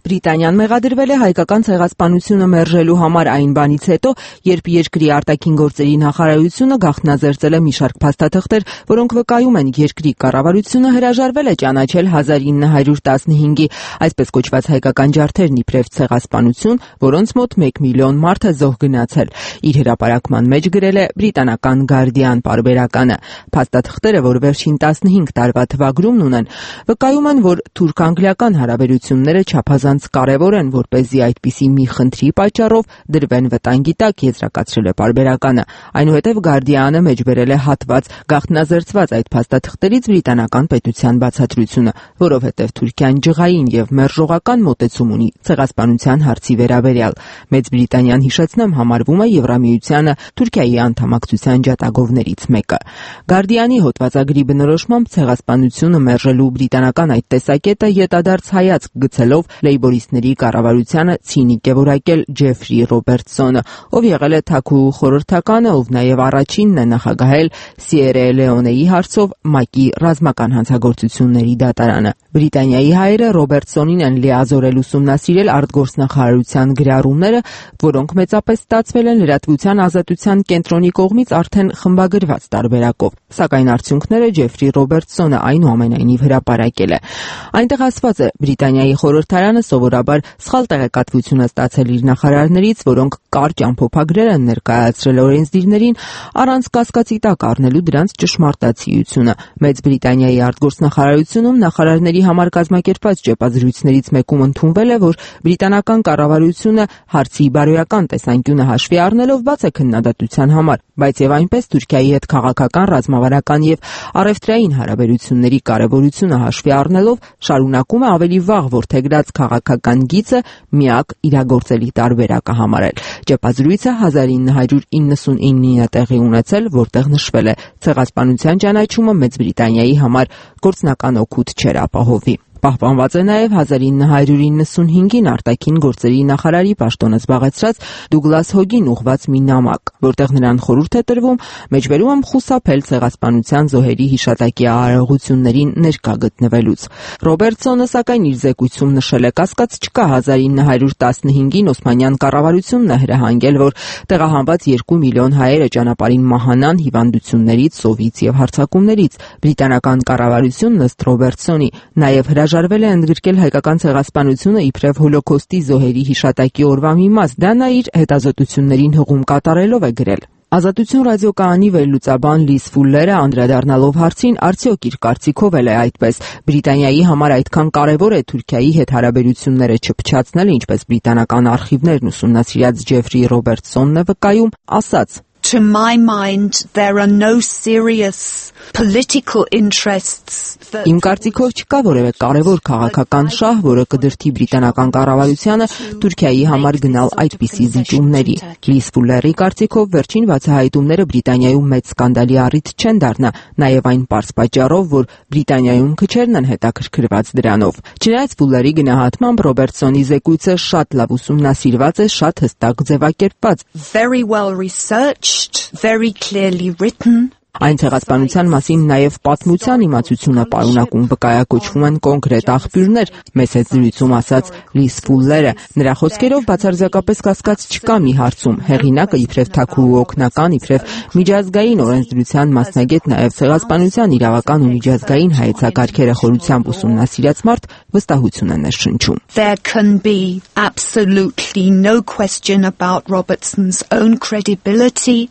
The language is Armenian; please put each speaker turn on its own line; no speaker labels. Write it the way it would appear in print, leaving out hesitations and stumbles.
Բրիտանիան մեղադրվել է հայկական ցեղասպանությունը մերժելու համար այն բանից հետո, երբ երկրի արտաքին գործերի նախարարությունը գաղտնաձերծել է մի շարք փաստաթղթեր, որոնք վկայում են երկրի կառավարությունը հրաժարվել է ճանաչել 1915-ի այսպես կոչված հայկական ջարդերն իբրև ցեղասպանություն, որոնց մոտ 1 միլիոն մարդ է զոհ գնացել։ Իր հրապարակման մեջ գրել է բրիտանական Guardian պարբերականը։ Փաստաթղթերը, որ վերջին 15 տարվա թվագրումն ունեն, վկայում են, որ թուրք-անգլիական հարաբերությունները չափազանց կարևոր են, որպեսզի այդպիսի մի խնդրի պատճառով դրվեն վտանգի տակ, եզրակացրել է պարբերականը։ Այնուհետև Guardian-ը մեջբերել է հատված գաղտնաձերծված այդ փաստաթղթերից բրիտանական պետության բացատրությունը, որովհետև Թուրքիան ջղային եւ մերժողական մոտեցում ունի ցեղասպանության հարցի վերաբերյալ։ Մեծ Բրիտանիան, հիշեցնեմ, համարվում է Եվրամիությանը Թուրքիայի անդամակցության ջատագովներից մեկը։ Guardian-ի հոդվածագրի բնորոշմամբ ցեղասպանությունը մերժելու բրիտանական այդ տեսակետը յետադարձ հայացք գցելով լեյբորիստների կառավարությանը ցինիկ է որակել Ջեֆրի Ռոբերտսոնը, ով եղել է թագուհու խորհրդականը, ով նաև առաջինն է նախագահել Սիերա Լեոնեի հարցով ՄԱԿ-ի ռազմական հանցագործությունների դատարանը։ Բրիտանիայի հայերը Ռոբերտսոնին են լիազորել ուսումնասիրել արտգործնախարարության գրառումները, որոնք մեծապես ստացվել են լրատվության ազատության կենտրոնի կողմից արդեն խմբագրված տարբերակով։ Սակայն արդյունքները Ջեֆրի Ռոբերտսոնը այնուամենայնիվ հրապարակել է։ Այնտեղ ասված է, Բրիտանիայի խորհրդարանը սովորաբար սխալ տեղեկատվություն է ստացել իր նախարարներից, որոնք կարճ ամփոփագրեր են ներկայացրել օրենսդիրներին, առանց կասկածի տակ առնելու դրանց ճշմարտացիությունը։ Մեծ Բրիտանիայի արտգործնախարարությունում նախարարների համար կազմակերպված ճեպազրույցներից մեկում ընդունվել է, որ բրիտանական կառավարությունը հարցի բարոյական տեսանկյունը հաշվի առնելով բաց է քննադատության համար, բայց եւ այնպես Թուրքիայի հետ քաղաքական, ռազմավարական եւ առևտրային հարաբերությունների կարեւորությունը հաշվի առնելով շարունակում է ավելի վաղ որդեգրած քաղաքական գիծը միակ իրագործելի տարբերակը համարել։ Ճեպազրույցը 1999-ին է տեղի ունեցել, որտեղ նշվել է ցեղասպանության ճանաչումը Մեծ Բրիտանիայի համար գործնական օգուտ չեր ապահովի։ Պահպանված է նաև 1995-ին արտաքին գործերի նախարարի պաշտոնը զբաղեցրած Դուգլաս Հոգին ուղղված մի նամակ, որտեղ նրան խորհուրդ է տրվում մեջբերում խուսափել ցեղասպանության զոհերի հիշատակի արարողություններին ներկա գտնվելուց։ Ռոբերտսոնը սակայն իր զեկույցում նշել է, կասկած չկա 1915-ին Օսմանյան կառավարությունն է հրահանգել, որ տեղահանված 2 միլիոն հայերը ճանապարհին մահանան հիվանդություններից, սովից եւ հարձակումներից։ Բրիտանական կառավարությունն ըստ Ռոբերտսոնի նաև հրաժարվել է ընդգրկել հայկական ցեղասպանությունը իբրև հոլոկոստի զոհերի հիշատակի օրվա մի մաս։ Դա նա իր հետազոտություններին հղում կատարելով է գրել։ Ազատություն ռադիոկայանի վերլուծաբան Լիզ Ֆուլլերը անդրադառնալով հարցին, արդյոք իր կարծիքով էլ է այդպես, Բրիտանիայի համար այդքան կարևոր է Թուրքիայի հետ հարաբերությունները չփչացնելը, ինչպես բրիտանական արխիվներն ուսումնասիրած Ջեֆրի Ռոբերտսոնն է վկայում, ասաց.
To my mind, there are no serious political interests.
Իմ կարծիքով չկա որևէ կարևոր քաղաքական շահ, որը կդրդի բրիտանական կառավարությանը Թուրքիայի համար գնալ այդպիսի զիջումների։ Լիզ Ֆուլլերի կարծիքով վերջին բացահայտումները Բրիտանիայում մեծ սկանդալի առիթ չեն դառնա, նաև այն պարզ պատճառով, որ Բրիտանիայում քչերն են հետաքրքրված դրանով։ Չնայած Ֆուլլերի գնահատմամբ Ռոբերտսոնի զեկույցը շատ լավ ուսումնասիրված է, շատ հստակ ձևակերպված։
Very well researched. Very clearly written.
Այն ցեղասպանության մասին նաև պատմության իմացությունը պարունակում վկայակոչվում են կոնկրետ աղբյուրներ, մեծ հետ զրույցում ասաց Լիզ Ֆուլլերը։ Նրա խոսքերով բացարձակապես կասկած չկա մի հարցում, հեղինակը իբրև թագուհու օգնական, իբրև միջազգային օրենսդրության մասնագետ, նաև ցեղասպանության իրավական ու միջազգային հայեցակարգերը խորությամբ ուսումնասիրած մարդ վստահություն է ներշնչում։
There can be absolutely no question about Robertson's own credibility.